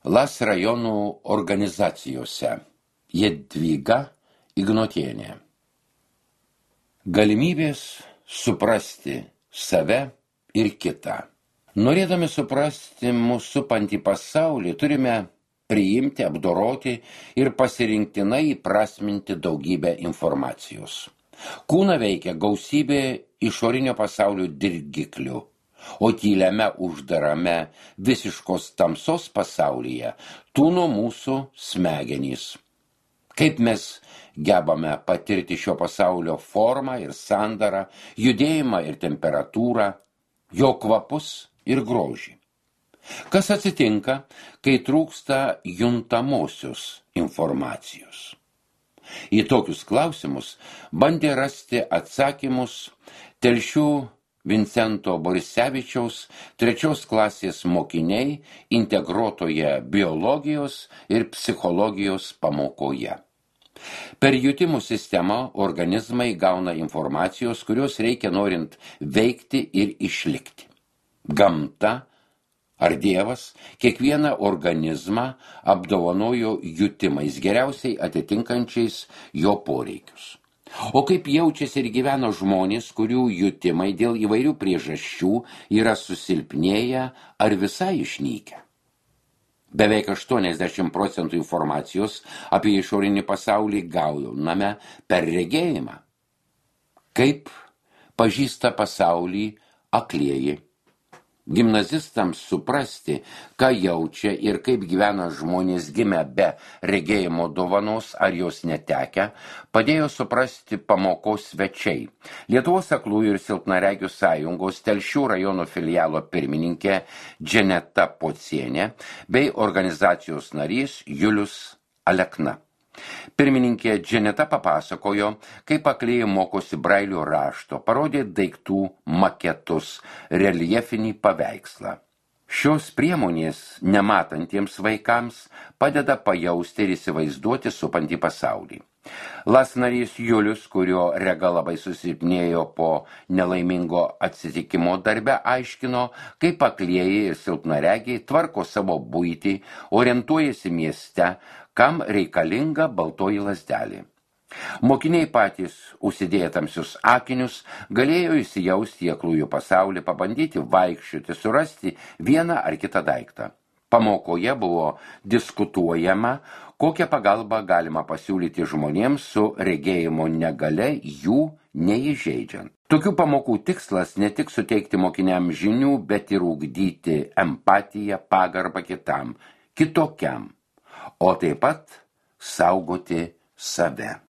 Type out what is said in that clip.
LAS rajonų organizacijose. Jadvyga Ignotienė. Galimybės suprasti save ir kitą. Norėdami suprasti mūsų supantį pasaulį, turime priimti, apdoroti ir pasirinktinai įprasminti daugybę informacijos. Kūną veikia gausybė išorinio pasaulio dirgiklių, o tyliame uždarame visiškos tamsos pasaulyje tūno mūsų smegenys. Kaip mes gebame patirti šio pasaulio formą ir sandarą, judėjimą ir temperatūrą, jo kvapus ir grožį. Kas atsitinka, kai trūksta juntamosios informacijos? Į tokius klausimus bandė rasti atsakymus Telšių Vincento Borisevičiaus 3 klasės mokiniai integruotoje biologijos ir psichologijos pamokoje. Per jutimų sistemą organizmai gauna informacijos, kurios reikia norint veikti ir išlikti. Gamta ar Dievas kiekvieną organizmą apdovanojo jutimais, geriausiai atitinkančiais jo poreikius. O kaip jaučiasi ir gyvena žmonės, kurių jutimai dėl įvairių priežasčių yra susilpnėję ar visai išnykę? Beveik 80% informacijos apie išorinį pasaulį gauname per regėjimą. Kaip pažįsta pasaulį aklieji? Gimnazistams suprasti, ką jaučia ir kaip gyvena žmonės gimę be regėjimo dovanos ar jos netekę, padėjo suprasti pamokos svečiai. Lietuvos aklųjų ir silpnaregių sąjungos Telšių rajono filialo pirmininkė Dženeta Pocienė bei organizacijos narys Julius Alekna. Pirmininkė Dženeta papasakojo, kaip aklieji mokosi brailio rašto, parodė daiktų maketus, reljefinį paveikslą. Šios priemonės nematantiems vaikams padeda pajausti ir įsivaizduoti supantį pasaulį. LAS narys Julius, kurio rega labai susilpnėjo po nelaimingo atsitikimo darbe, aiškino, kaip aklieji ir silpnaregiai tvarko savo buitį, orientuojasi mieste, kam reikalinga baltoji lazdelė. Mokiniai patys, užsidėję tamsius akinius, galėjo įsijausti į aklųjų pasaulį, pabandyti vaikščioti, surasti vieną ar kitą daiktą. Pamokoje buvo diskutuojama, kokią pagalbą galima pasiūlyti žmonėms su regėjimo negalia, jų neįžeidžiant. Tokių pamokų tikslas ne tik suteikti mokiniams žinių, bet ir ugdyti empatiją, pagarbą kitam, kitokiam, o taip pat saugoti save.